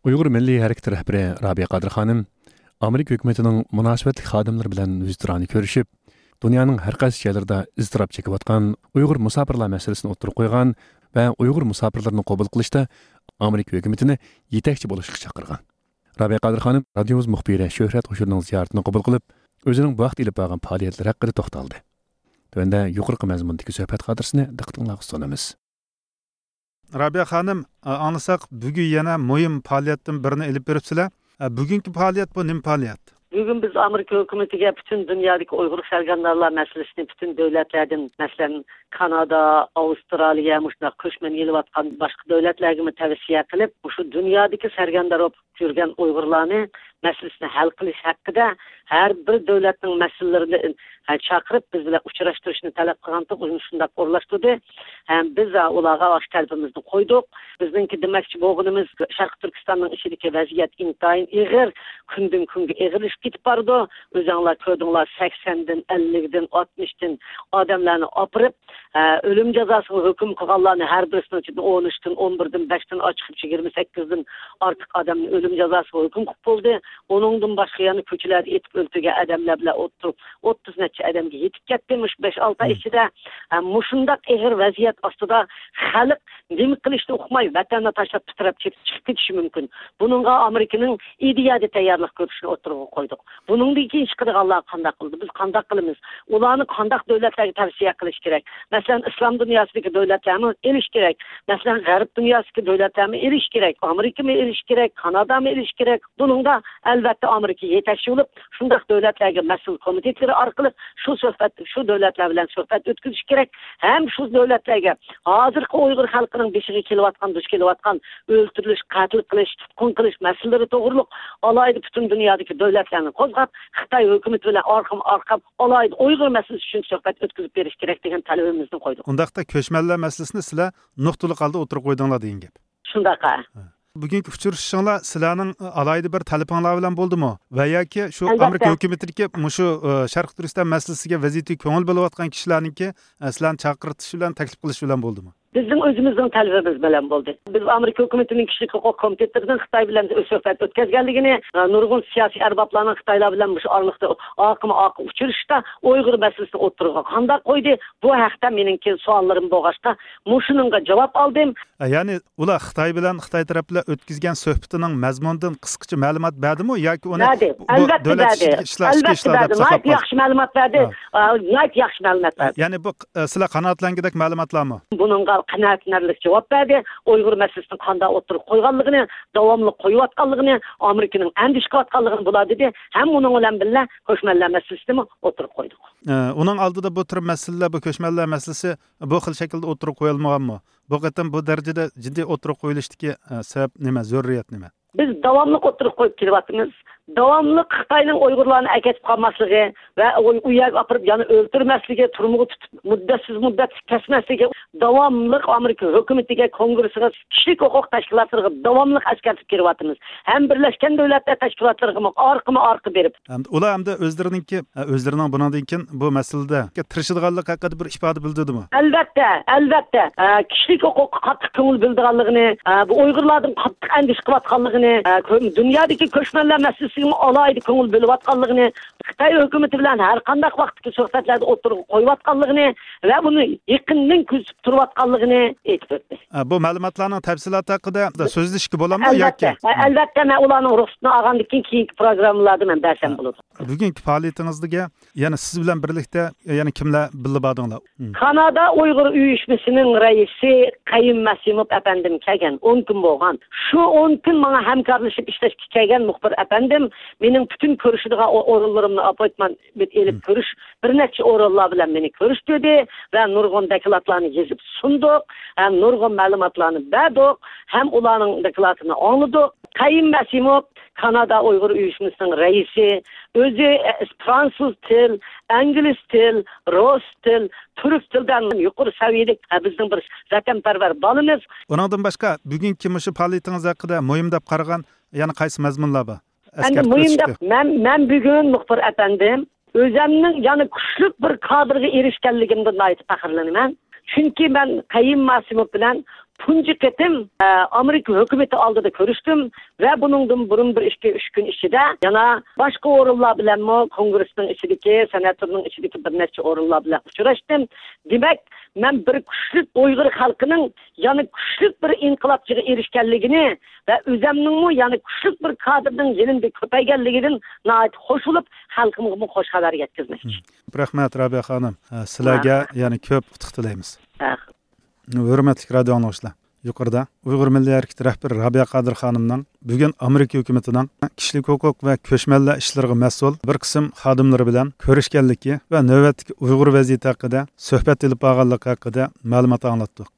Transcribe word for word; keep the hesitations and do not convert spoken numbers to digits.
ئۇيغۇر مىللىي ھەرىكىتى رەھبىرى رابىيە قادىر خانىم ئامېرىكا ھۆكۈمىتىنىڭ مۇناسىۋەتلىك خادىملىرى بىلەن يۈزتۇرانە كۆرۈشۈپ، دۇنيانىڭ ھەر قايسى جايلىرىدا ئىزتىراپ چېكىۋاتقان ئۇيغۇر مۇساپىرلار مەسىلىسىنى ئوتتۇرىغا قويغان ۋە ئۇيغۇر مۇساپىرلىرىنى قوبۇل قىلىشتا ئامېرىكا ھۆكۈمىتىنى يېتەكچى بولۇشقا چاقىرغان. رابىيە قادىر خانىم رادىيومىز مۇخبىرى شۆھرەت خۇشۇرنىڭ زىيارىتىنى قوبۇل قىلىپ، ئۆزىنىڭ بۇ ھەقتە ئېلىپ بارغان پائالىيەتلىرى ھەققىدە توختالدى. تۆۋەندە يۇقىرىقى مەزمۇندىكى سۆھبەت خاتىرىسىنى دىققىتىڭلارغا سۇنىمىز. رابىيە خانىم، ئاڭلىساق، بۈگۈن يەنە مۇھىم پائالىيەتتىن بىرنى ئېلىپ بېرىپسىلەر. بۈگۈنكى پائالىيەت بۇ نېمە پائالىيەت؟ بۈگۈن بىز ئامېرىكا ھۆكۈمىتىگە پۈتۈن دۇنيادىكى ئۇيغۇر سەرگەردانلار مەسىلىسىنى پۈتۈن دۆلەتلەردىن، مەسىلەن، كانادا، ئاۋسترالىيە، مۇشۇنداق كۆچمەن ئېلىۋاتقان باشقا دۆلەتلەرگىمۇ تەۋسىيە قىلىپ، مۇشۇ دۇنيادىكى سەرگەردان بولۇپ يۈرگەن ئۇيغۇرلارنى مەسىلىسىنى ھەل قىلىش ھەققىدە ھەر بىر دۆلەتنىڭ مەسئۇللىرىنى، ھە، چاقىرىپ، بىز بىلەن ئۇچراشتۇرۇشنى تەلەپ قىلغانتۇق، ئۇنى شۇنداق ئورۇنلاشتۇردى. ھەم بىز، ھە، ئۇلارغا ئاشۇ تەلىپىمىزنى قويدۇق. بىزنىڭكى دېمەكچى بولغىنىمىز، شەرقىي تۈركىستاننىڭ ئىچىدىكى ۋەزىيەت ئىنتايىن ئېغىر، كۈندىن كۈنگە ئېغىرلىشىپ كېتىپ بارىدۇ. ئۆزۈڭلار كۆردۈڭلار، سەكسەندىن، ئەللىكتىن، ئاتمىشتىن ئادەملەرنى ئاپىرىپ، ھە، ئۆلۈم جازاسىغا ھۆكۈم قىلغانلارنى ھەر بىرسىنىڭ ئىچىدىن ئون ئۈچتىن، ئون بىردىن، بەشتىن ئاچىقىپ يىگىرمە سەككىزدىن ئارتۇق ئادەمنى ئۆلۈم جازاسىغا ھۆكۈم قىلىپ بولدى. ئۇنىڭدىن باشقا يەنە كوچىلەردە ئېتىپ ئۆلتۈرگەن ئادەملەر بىلەن ئوتتۇرا ئوتتۇز نەچچە ئادەمگە يېتىپ كەتتى مۇشۇ بەش ئالتە ئاي ئىچىدە. ھە، مۇشۇنداق ئېغىر ۋەزىيەت ئاستىدا خەلق نېمە قىلىشنى ئۇقماي، ۋەتەننى تاشلاپ پىتىراپ چىقىپ كېتىشى مۇمكىن. بۇنىڭغا ئامېرىكىنىڭ ئىدىيەدە تەييارلىق كۆرۈشىنى ئوتتۇرىغا قويدۇق. بۇنىڭدىن كېيىن چىقىدىغانلار قانداق قىلىدۇ؟ بىز قانداق قىلىمىز؟ ئۇلارنى قانداق دۆلەتلەرگە تەۋسىيە قىلىش كېرەك؟ مەسىلەن، ئىسلام دۇنياسىدىكى دۆلەتلەرمۇ ئېلىش كېرەك. مەسىلەن، غەرب دۇنياسىدىكى دۆلەتلەرمۇ ئېلىش كېرەك. ئامېرىكىمۇ ئېلىش كېرەك، كانادامۇ ئېلىش كېرەك. بۇنىڭدا، ئەلۋەتتە، ئامېرىكا يېتەكچى بولۇپ، شۇنداق دۆلەتلەرگە مەسئۇل كومىتېتلىرى ئارقىلىق شۇ سۆھبەت، شۇ دۆلەتلەر بىلەن سۆھبەت ئۆتكۈزۈش كېرەك. ھەم شۇ دۆلەتلەرگە ھازىرقى ئۇيغۇر خەلقىنىڭ بېشىغا كېلىۋاتقان، دۇچ كېلىۋاتقان ئۆلتۈرۈلۈش، قەتل قىلىش، تۇتقۇن قىلىش مەسىلىلىرى توغرۇلۇق ئالاھىدە پۈتۈن دۇنيادىكى دۆلەتلەرنى قوزغاپ، خىتاي ھۆكۈمىتى بىلەن ئارقىمۇ ئارقا ئالاھىدە ئۇيغۇر مەسىلىسى ئۈچۈن سۆھبەت ئۆتكۈزۈپ بېرىش كېرەك دېگەن تەلىپىمىزنى قويدۇق. ئۇنداقتا كۆچمەنلەر مەسىلىسىنى سىلەر نۇقتىلىق ھالدا ئوتتۇرىغا قويدۇڭلار دېگەن گەپ. شۇنداق، ھە. ھە. بۈگۈنكى ئۇچرىشىشىڭلار سىلەرنىڭ ئالاھىدە بىر تەلىپىڭلار بىلەن بولدىمۇ؟ ۋە ياكى شۇ ئەلۋەتتە. ئامېرىكا ھۆكۈمىتىدىكى مۇشۇ، ئە، شەرقىي تۈركىستان مەسىلىسىگە، ۋەزىيىتىگە كۆڭۈل بۆلۈۋاتقان كىشىلەرنىڭكى، ئە، سىلەرنى چاقىرتىش بىلەن، تەكلىپ قىلىش بىلەن بولدىمۇ؟ بىزنىڭ ئۆزىمىزنىڭ تەلىپىمىز بىلەن بولدى. بىز ئامېرىكا ھۆكۈمىتىنىڭ كىشىلىك ھوقۇق كومىتېتلىرىنىڭ خىتاي بىلەن سۆھبەت ئۆتكۈزگەنلىكىنى، ئە، نۇرغۇن سىياسىي ئەربابلارنىڭ خىتايلار بىلەن مۇشۇ ئارىلىقتا ئارقىمۇ ئارقا ئۇچرىشىشتا ئۇيغۇر مەسىلىسىنى ئوتتۇرىغا قانداق قويدى؟ بۇ ھەقتە مېنىڭكى سوئاللىرىم بولغاچقا، مۇشۇنىڭغا جاۋاب ئالدىم. ئە، يەنى ئۇلار خىتاي بىلەن، خىتاي تەرەپ بىلەن ئۆتكۈزگەن سۆھبىتىنىڭ مەزمۇنىدىن قىسقىچە مەلۇمات بەردىمۇ ياكى ئۇنى بەردى. بۇ ئەلۋەتتە دۆلەت بەردى. ئىچىدىكى ئىشلار، ئىچكى ئەلۋەتتە ئىشلار دەپ بەردى. ساقلاپ ناھايىتى قالدى؟ ياخشى مەلۇمات بەردى. ھە. ئا، ناھايىتى ياخشى مەلۇمات بەردى. يەنى بۇ، ئە، سىلەر قانائەتلەنگۈدەك مەلۇماتلارمۇ؟ بۇنىڭغا قانائەتلىنەرلىك جاۋاب بەردى. ئۇيغۇر مەسىلىسىنى قانداق ئوتتۇرىغا قويغانلىقىنى، داۋاملىق قويۇۋاتقانلىقىنى، ئامېرىكىنىڭ ئەندىشە قىلىۋاتقانلىقىنى بۇلار دېدى. ھەم ئۇنىڭ بىلەن بىللە كۆچمەنلەر مەسىلىسىنىمۇ ئوتتۇرىغا قويدۇق. ئە، ئۇنىڭ ئالدىدا بۇ تۈر مەسىلىلەر، بۇ كۆچمەنلەر مەسىلىسى بۇ خىل شەكىلدە ئوتتۇرىغا قويۇلمىغانمۇ؟ بۇ قېتىم بۇ دەرىجىدە جىددىي ئوتتۇرىغا قويۇلۇشتىكى، ئە، سەۋەب نېمە؟ زۆرۈرىيەت نېمە؟ بىز داۋاملىق ئوتتۇرىغا قويۇپ كېلىۋاتىمىز. داۋاملىق خىتاينىڭ ئۇيغۇرلارنى ئەكېتىپ قالماسلىقى ۋە ئۇ، ئۇ يەرگە ئاپىرىپ يەنە ئۆلتۈرمەسلىكى، تۈرمىگە تۇتۇپ مۇددەتسىز مۇددەتلىك كەسمەسلىكى، داۋاملىق ئامېرىكا ھۆكۈمىتىگە، كونگرېسىغا، كىشىلىك ھوقۇق تەشكىلاتلىرىغا داۋاملىق ئەسكەرتىپ كېلىۋاتىمىز. ھەم بىرلەشكەن دۆلەتلەر تەشكىلاتلىرىغىمۇ ئارقىمۇ ئارقا بېرىپ. ھەم ئۇلار ھەمدە ئۆزلىرىنىڭكى، ئە، ئۆزلىرىنىڭ بۇنىڭدىن كېيىن بۇ مەسىلىدە تىرىشىدىغانلىقى ھەققىدە بىر ئىپادە بىلدۈردىمۇ؟ ئەلۋەتتە، ئەلۋەتتە. ئە، كىشىلىك ھوقۇققا قاتتىق كۆڭۈل بۆلىدىغانلىقىنى، ئە، بۇ ئۇيغۇرلاردىن قاتتىق ئەندىشە قىلىۋاتقانلىقىنى، ئە، كۆ-، دۇنيادىكى كۆچمەنلەر مەسىلىسىگىمۇ ئالاھىدە كۆڭۈل بۆلۈۋاتقانلىقىنى، خىتاي ھۆكۈمىتى بىلەن ھەر قانداق ۋاقىتتىكى سۆھبەتلەردە ئوتتۇرىغا قويۇۋاتقانلىقىنى ۋە بۇنى يېقىندىن كۆزىتىپ تۇرۇۋاتقانلىقىنى ئېيتىپ ئۆتتى. ئە، بۇ مەلۇماتلارنىڭ تەپسىلاتى ھەققىدە سۆزلىشىشكە بولامدۇ ياكى؟ ئەلۋەتتە، ئەلۋەتتە، مەن ئۇلارنىڭ رۇخسىتىنى ئالغاندىن كېيىن، كېيىنكى پروگراممىلاردا مەن بەرسەم بولىدۇ. بۈگۈنكى پائالىيىتىڭىزگە يەنە سىز بىلەن بىرلىكتە يەنە كىملەر بىللە باردىڭلار؟ مم. كانادا ئۇيغۇر ئۇيۇشمىسىنىڭ رەئىسى قەييۇم مەسىموف ئەپەندىم كەلگەن. ئون كۈن بولغان. شۇ ئون كۈن ماڭا ھەمكارلىشىپ ئىشلەشكە كەلگەن مۇخبىر ئەپەندىم مېنىڭ پۈتۈن كۆرۈشىدىغان ئو-، ئورۇنلىرىمنى، ئاپپوينتمېنت ئېلىپ، مم، كۆرۈش، بىر نەچچە ئورۇنلار بىلەن مېنى كۆرۈشتۈردى ۋە نۇرغۇن دوكلاتلارنى يېزىپ سۇندۇق، ھەم نۇرغۇن مەلۇماتلارنى بەردۇق، ھەم ئۇلارنىڭ دوكلاتىنى ئاڭلىدۇق. قەييۇم مەسىموف كانادا ئۇيغۇر ئۇيۇشمىسىنىڭ رەئىسى، ئۆزى، ئە، فرانسۇز تىل، ئىنگلىز تىل، رۇس تىل، تۈرك تىلدىن يۇقىرى سەۋىيەلىك، ئە، بىزنىڭ بىر ۋەتەنپەرۋەر بالىمىز. ئۇنىڭدىن باشقا، بۈگۈنكى مۇشۇ پائالىيىتىڭىز ھەققىدە مۇھىم دەپ قارىغان يەنە قايسى مەزمۇنلار بار؟ ئەمدى ئەسكەرتىپ مۇھىم ئۆتۈشكە. دەپ، مەن، مەن بۈگۈن مۇخبىر ئەپەندىم، ئۆزەمنىڭ يەنە كۈچلۈك بىر كادىرغا ئېرىشكەنلىكىمدىن ناھايىتى پەخىرلىنىمەن. چۈنكى مەن قەييۇم مەسىموف بىلەن تۇنجى قېتىم، ئە، ئامېرىكا ھۆكۈمىتى ئالدىدا كۆرۈشتۈم ۋە بۇنىڭدىن بۇرۇن بىر ئىككى، ئۈچ كۈن ئىچىدە يەنە باشقا ئورۇنلار بىلەنمۇ كونگرېسنىڭ ئىچىدىكى، سېناتورنىڭ ئىچىدىكى بىر نەچچە ئورۇنلار بىلەن ئۇچراشتىم. دېمەك، مەن بىر كۈچلۈك ئۇيغۇر خەلقىنىڭ يەنە كۈچلۈك بىر ئىنقىلابچىغا ئېرىشكەنلىكىنى ۋە ئۆزەمنىڭمۇ يەنە كۈچلۈك بىر كادىرنىڭ يېنىمدا كۆپەيگەنلىكىدىن ناھايىتى خوش بولۇپ، خەلقىمغىمۇ خوش خەۋەر يەتكۈزمەكچى. مم. رەھمەت، رابىيە خانىم. ئە، سىلەرگە يەنە كۆپ ئۇتۇق تىلەيمىز. ھە. ھۆرمەتلىك رادىئو ئاڭلىغۇچىلار، يۇقىرىدا ئۇيغۇر مىللىي ھەرىكىتى رەھبىرى رابىيە قادىر خانىمنىڭ بۈگۈن ئامېرىكا ھۆكۈمىتىنىڭ كىشىلىك ھوقۇق ۋە كۆچمەنلەر ئىشلىرىغا مەسئۇل بىر قىسىم خادىملىرى بىلەن كۆرۈشكەنلىكى ۋە نۆۋەتتىكى ئۇيغۇر ۋەزىيىتى ھەققىدە سۆھبەت ئېلىپ بارغانلىقى ھەققىدە مەلۇمات ئاڭلاتتۇق.